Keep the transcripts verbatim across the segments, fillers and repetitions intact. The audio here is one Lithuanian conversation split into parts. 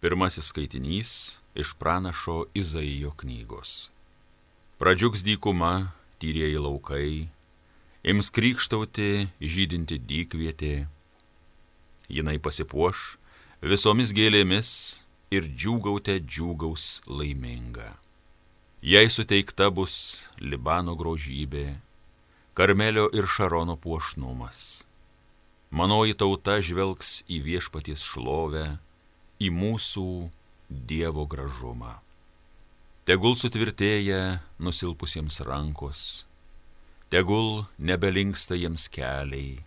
Pirmasis skaitinys iš pranašo Izaijo knygos. Pradžiugs dykuma, tyrieji laukai, ims krykštauti žydinti dykvietė. Jinai pasipuoš visomis gėlėmis ir džiūgaute džiūgaus laiminga. Jai suteikta bus Libano grožybė, Karmelio ir Šarono puošnumas. Manoji tauta žvelgs į viešpaties šlovę, į mūsų Dievo gražumą. Tegul sutvirtėja nusilpusiems rankos, tegul nebelinksta jiems keliai.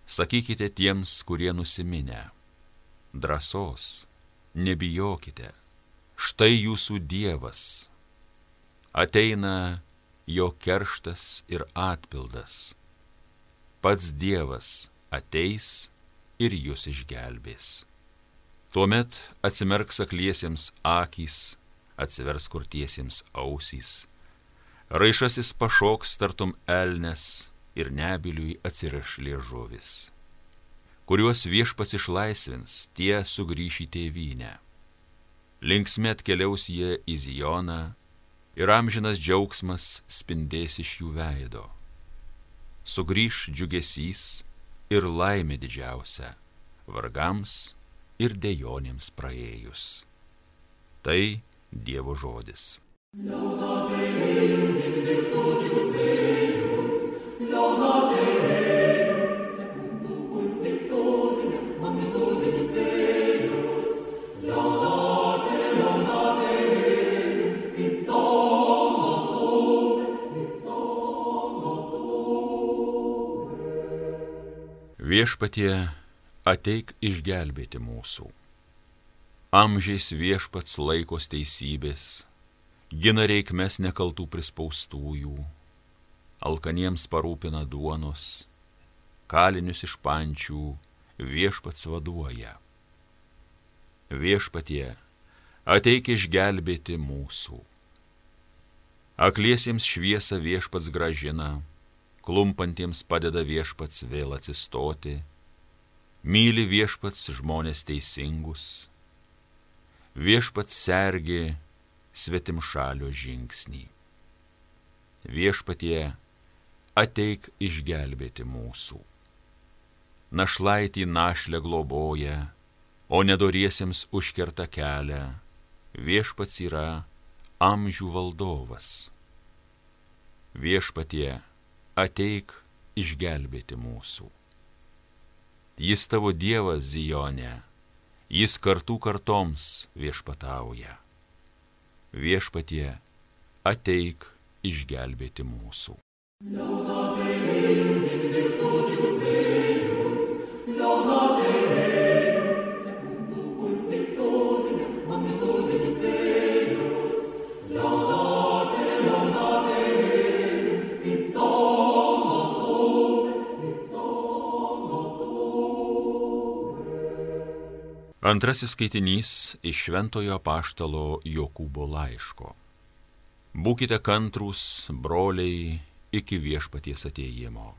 Sakykite tiems, kurie nusiminę, drąsos, nebijokite, štai jūsų Dievas. Ateina jo kerštas ir atpildas. Pats Dievas ateis ir jūs išgelbės. Tuomet atsimerks akliesiems akys, atsivers kurtiesiems ausys. Raišasis pašoks tartum elnes ir nebiliui atsiriš liežuvis. Kuriuos viešpats išlaisvins, tie sugrįš į tėvynę. Linksmi atkeliaus jie į Zioną ir amžinas džiaugsmas spindės iš jų veido. Sugrįš džiugesys ir laimė didžiausia vargams ir dejonėms praėjus. Tai Dievo žodis. Viešpatie, ateik išgelbėti mūsų. Amžiais viešpats laikos teisybės, gina reikmes nekaltų prispaustųjų, alkaniems parūpina duonos, kalinius iš pančių viešpats vaduoja. Viešpatie, ateik išgelbėti mūsų. Akliesiems šviesą viešpats grąžina, klumpantiems padeda viešpats vėl atsistoti, myli viešpats žmonės teisingus, viešpats sergi svetimšalio žingsnį. Viešpatie, ateik išgelbėti mūsų. Našlaitį našlę globoja, o nedoriesiems užkerta kelią, viešpats yra amžių valdovas. Viešpatie, ateik išgelbėti mūsų. Jis tavo Dievas Zione, jis kartų kartoms viešpatauja. Viešpatie, ateik išgelbėti mūsų. Antrasis skaitinys iš šventojo apaštalo Jokūbo laiško. Būkite kantrūs, broliai, iki viešpaties atėjimo.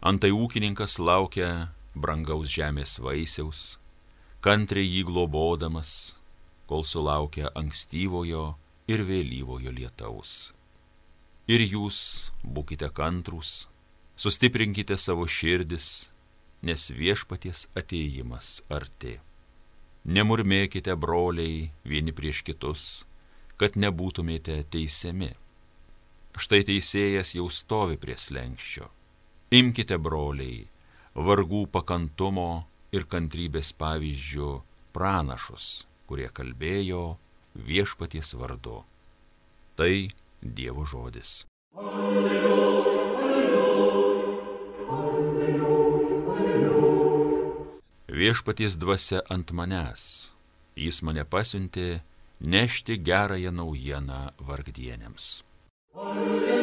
Antai ūkininkas laukia brangaus žemės vaisiaus, kantriai jį globodamas, kol sulaukia ankstyvojo ir vėlyvojo lietaus. Ir jūs būkite kantrūs, sustiprinkite savo širdis, nes viešpaties atėjimas arti. Nemurmėkite, broliai, vieni prieš kitus, kad nebūtumėte teisiami. Štai teisėjas jau stovi prie slenksčio. Imkite, broliai, vargų pakantumo ir kantrybės pavyzdžių pranašus, kurie kalbėjo viešpaties vardu. Tai Dievo žodis. Alleluja, alleluja, alleluja, alleluja. Viešpaties dvasia ant manęs, jis mane pasiuntė nešti gerąją naujieną vargdienėms. Alleluja,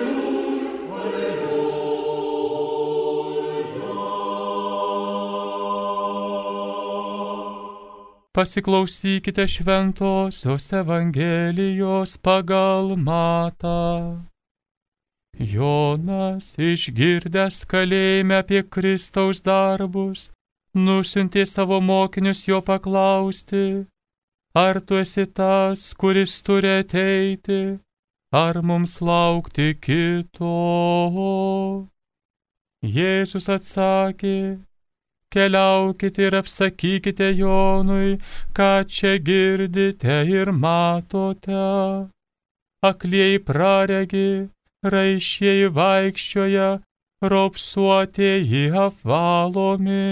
alleluja. Pasiklausykite šventosios Evangelijos pagal Matą. Jonas, išgirdęs kalėjime apie Kristaus darbus, nusiuntė savo mokinius jo paklausti, ar tu esi tas, kuris turi ateiti, ar mums laukti kito? Jėzus atsakė, keliaukite ir apsakykite Jonui, ką čia girdite ir matote. Aklieji praregi, raišieji vaikščioja, raupsuotieji apvalomi,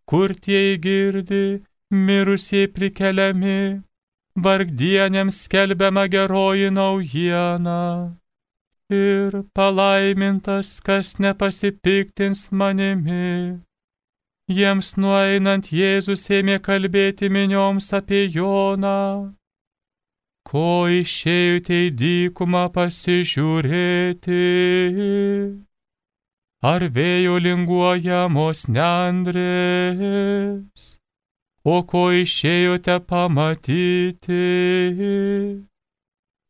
kurtieji girdi, mirusieji prikeliami, vargdienėms skelbiama geroji naujiena. Ir palaimintas, kas nepasipiktins manimi. Jiems nueinant Jėzus ėmė kalbėti minioms apie Joną. Ko išėjote į dykumą pasižiūrėti? Ar vėjo linguojamos nendrės? O ko išėjote pamatyti?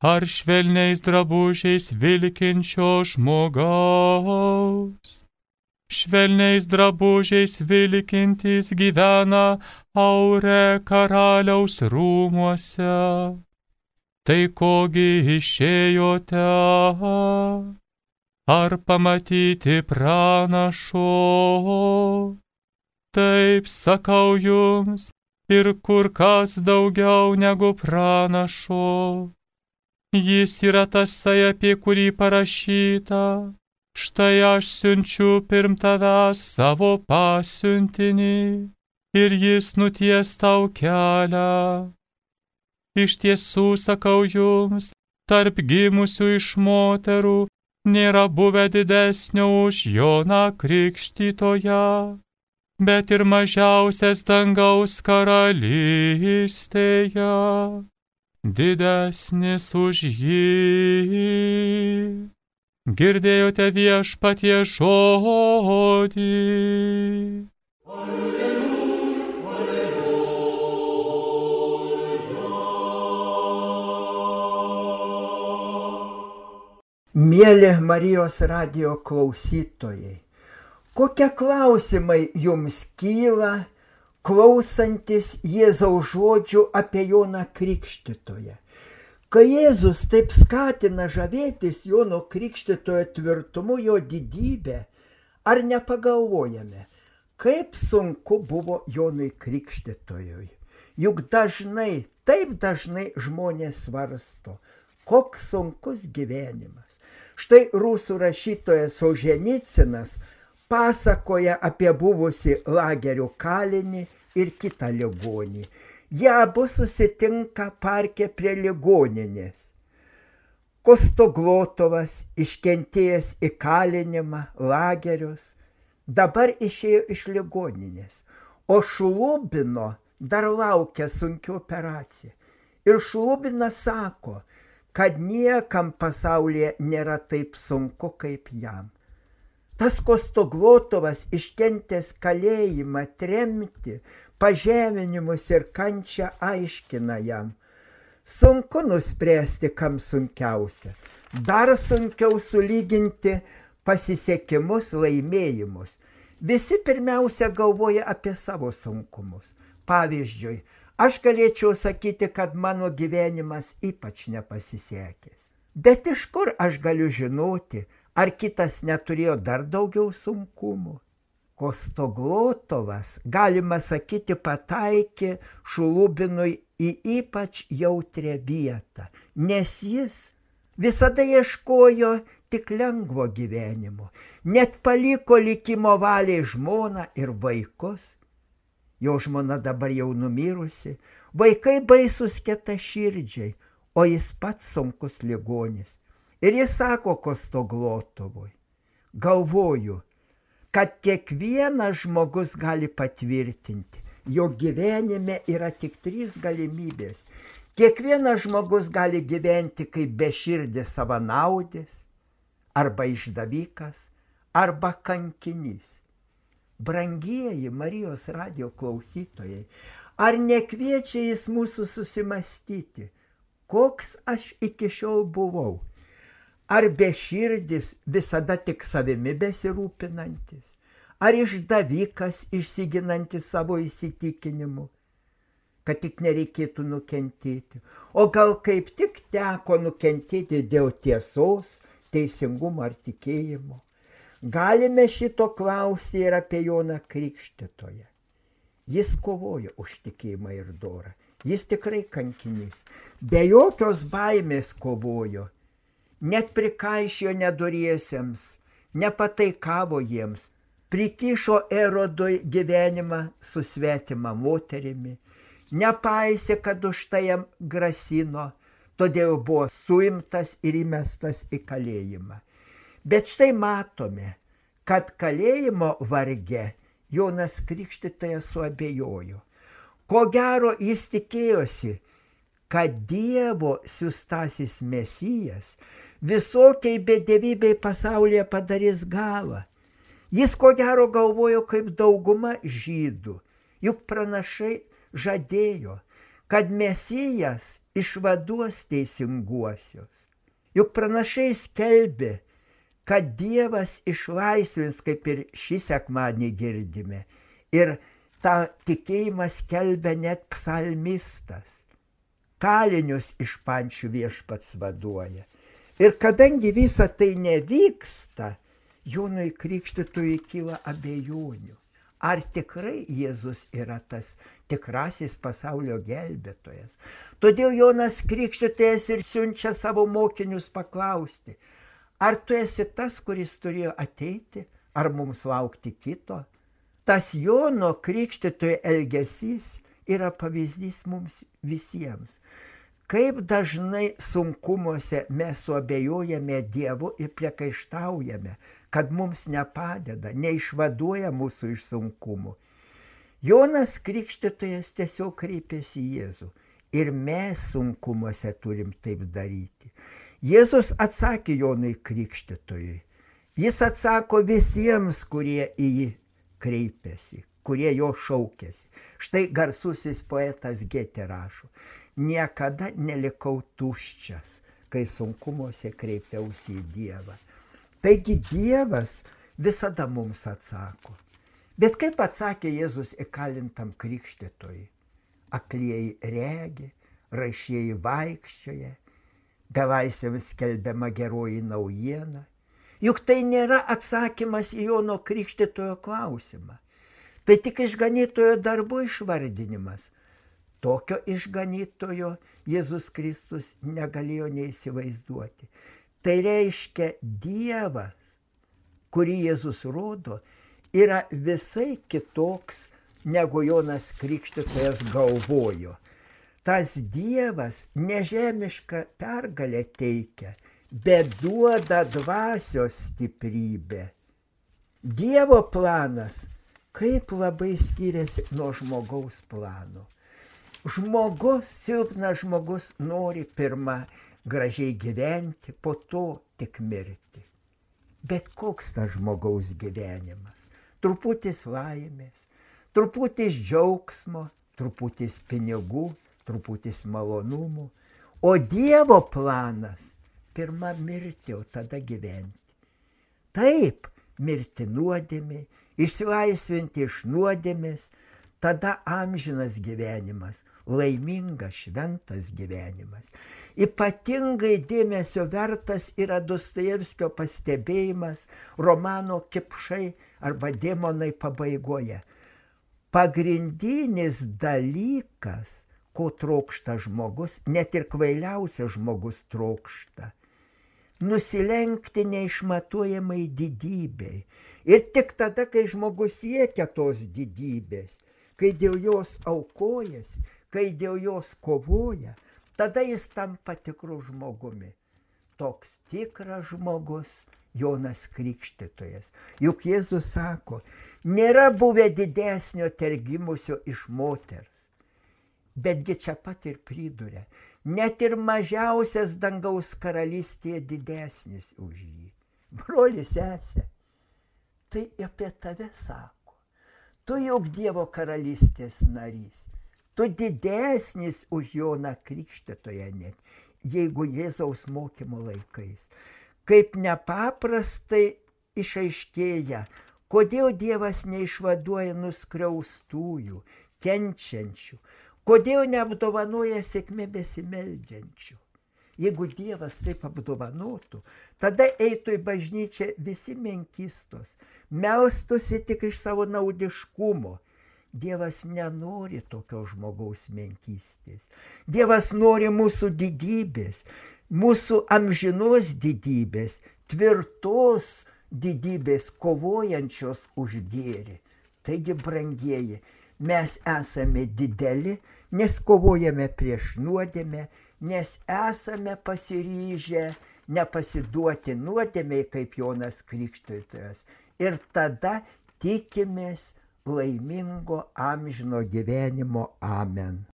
Ar švelniais drabužiais vilkinčio žmogaus? Švelniais drabužiais vilkintys gyvena Aure karaliaus rūmuose. Tai kogi išėjote? Ar pamatyti pranašo? Taip sakau jums, ir kur kas daugiau negu pranašo. Jis yra tasai, apie kurį parašyta. Štai aš siunčiu pirm tavęs savo pasiuntinį, ir jis nuties tau kelią. Iš tiesų sakau jums, tarp gimusių iš moterų nėra buvę didesnio už Joną Krikštytoją, bet ir mažiausias dangaus karalystėje didesnis už jį. Girdėjote Viešpaties žodį. Alleluja, alleluja. Mieli Marijos radijo klausytojai, kokie klausimai jums kyla, klausantis Jėzaus žodžių apie Joną Krikštytoją? Kai Jėzus taip skatina žavėtis Jono Krikštytojo tvirtumu, jo didybę, ar nepagalvojame, kaip sunku buvo Jonui Krikštytojui? Juk dažnai, taip dažnai žmonės svarsto, koks sunkus gyvenimas. Štai rusų rašytojas Solženicinas pasakoja apie buvusį lagerio kalinį ir kitą ligonį. Jie abu susitinka parke prie ligoninės. Kostoglotovas, iškentėjęs įkalinimą, lagerius, dabar išėjo iš ligoninės, o Šlubino dar laukia sunki operacija. Ir Šlubinas sako, kad niekam pasaulyje nėra taip sunku kaip jam. Tas Kostoglotovas iškentęs kalėjimą, tremtį, pažeminimus ir kančią aiškina jam. Sunku nuspręsti, kam sunkiausia. Dar sunkiau sulyginti pasisekimus, laimėjimus. Visi pirmiausia galvoja apie savo sunkumus. Pavyzdžiui, aš galėčiau sakyti, kad mano gyvenimas ypač nepasisekęs. Bet iš kur aš galiu žinoti, ar kitas neturėjo dar daugiau sunkumų? Kostoglotovas, galima sakyti, pataikė Šlubinui į ypač jautrią vietą, nes jis visada ieškojo tik lengvo gyvenimo, net paliko likimo valiai žmoną ir vaikus. Jo žmona dabar jau numirusi, vaikai baisus kietaširdžiai, o jis pats sunkus ligonis. Ir jis sako Kostoglotovui, galvoju, kad kiekvienas žmogus gali patvirtinti, jo gyvenime yra tik trys galimybės. Kiekvienas žmogus gali gyventi kaip beširdis savanaudis, arba išdavikas, arba kankinys. Brangieji Marijos radijo klausytojai, ar nekviečia jis mūsų susimastyti, koks aš iki šiol buvau? Ar beširdis visada tik savimi besirūpinantis? Ar išdavikas išsiginantis savo įsitikinimu? kad tik nereikėtų nukentėti. O gal kaip tik teko nukentėti dėl tiesos, teisingumo ar tikėjimo. Galime šito klausti ir apie Joną Krikštytoją. Jis kovojo už tikėjimą ir dorą. Jis tikrai kankinys. Be jokios baimės kovojo. Net prikaišėjo nedoriesiems, nepataikavo jiems, prikišo Erodui gyvenimą su svetima moterimi, nepaisė, kad už tai jam grasino, todėl buvo suimtas ir įmestas į kalėjimą. Bet štai matome, kad kalėjimo varge Jonas Krikštytojas suabejojo. Ko gero jis tikėjosi, kad Dievo siųstasis Mesijas visokiai bedevybei pasaulyje padarys galą. Jis ko gero galvojo kaip dauguma žydų, juk pranašai žadėjo, kad Mesijas išvaduos teisinguosius. Juk pranašai skelbė, kad Dievas išlaisvins, kaip ir šį sekmadienį girdime. Ir tą tikėjimą skelbia net psalmistas. Kalinius iš pančių viešpats vaduoja. Ir kadangi visa tai nevyksta, Jonui Krikštytojui kyla abejonių. Ar tikrai Jėzus yra tas tikrasis pasaulio gelbėtojas? Todėl Jonas Krikštytojas ir siunčia savo mokinius paklausti, ar tu esi tas, kuris turėjo ateiti, ar mums laukti kito? Tas Jono Krikštytojo elgesys yra pavyzdys mums visiems. Kaip dažnai sunkumuose mes suabejojame Dievu ir priekaištaujame, kad mums nepadeda, neišvaduoja mūsų iš sunkumų. Jonas Krikštytojas tiesiog kreipėsi į Jėzų ir mes sunkumuose turim taip daryti. Jėzus atsakė Jonui Krikštytojui. Jis atsako visiems, kurie į jį kreipiasi, kurie jo šaukėsi. Štai garsusis poetas Getė rašo: niekada nelikau tuščias, kai sunkumuose kreipiausi į Dievą. Taigi Dievas visada mums atsako. Bet kaip atsakė Jėzus įkalintam krikštytojui? Aklieji regi, raišieji vaikščioja, belaisviams skelbiama geroji naujiena. Juk tai nėra atsakymas į Jono Krikštytojo klausimą. Tai tik išganytojo darbų išvardinimas. Tokio išganytojo Jėzus Kristus negalėjo neįsivaizduoti. Tai reiškia, Dievas, kurį Jėzus rodo, yra visai kitoks, negu Jonas Krikštytojas galvojo. Tas Dievas nežemišką pergalę teikia, bet duoda dvasios stiprybę. Dievo planas kaip labai skiriasi nuo žmogaus plano. Žmogus, silpnas žmogus nori pirmą gražiai gyventi, po to tik mirti. Bet koks tas žmogaus gyvenimas? Truputis laimės, truputis džiaugsmo, truputis pinigų, truputis malonumų. O Dievo planas pirma mirti, o tada gyventi. Taip, mirti nuodėmė, išsilaisvinti iš nuodėmės, tada amžinas gyvenimas, laimingas, šventas gyvenimas. Ypatingai dėmesio vertas yra Dostojevskio pastebėjimas romano Kipšai arba Demonai pabaigoje. Pagrindinis dalykas, ko trokšta žmogus, net ir kvailiausias žmogus trokšta, nusilenkti neišmatuojamai didybei. Ir tik tada, kai žmogus siekia tos didybės, kai dėl jos aukojasi, kai dėl jos kovoja, tada jis tampa tikru žmogumi. Toks tikras žmogus Jonas Krikštytojas. Juk Jėzus sako, nėra buvę didesnio tergimusio iš moters. Betgi čia pat ir priduria, net ir mažiausias dangaus karalystėje didesnis už jį. Broli, sesė, tai apie tave sako. Tu juk Dievo karalystės narys. Tu didesnis už Joną Krikštytoją net, jeigu Jėzaus mokymo laikais. Kaip nepaprastai išaiškėja, kodėl Dievas neišvaduoja nuskriaustųjų, kenčiančių, Kodėl neapdovanoja sėkmė besimeldžiančių? Jeigu Dievas taip apdovanotų, tada eitų į bažnyčią visi menkystos, melstųsi tik iš savo naudiškumo. Dievas nenori tokios žmogaus menkystės. Dievas nori mūsų didybės, mūsų amžinos didybės, tvirtos didybės, kovojančios už gėrį. Taigi, brangieji, mes esame dideli, nes kovojame prieš nuodėmę, nes esame pasiryžę nepasiduoti nuodėmei kaip Jonas Krikštytojas. Ir tada tikimės laimingo amžino gyvenimo. Amen.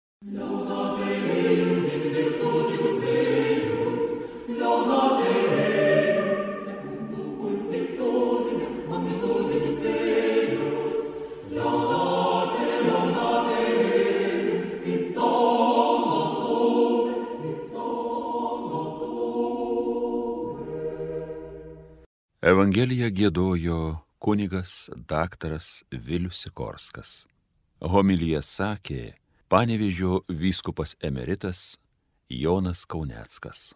Evangeliją giedojo kunigas daktaras Vilius Sikorskas. Homiliją sakė Panevėžio vyskupas emeritas Jonas Kauneckas.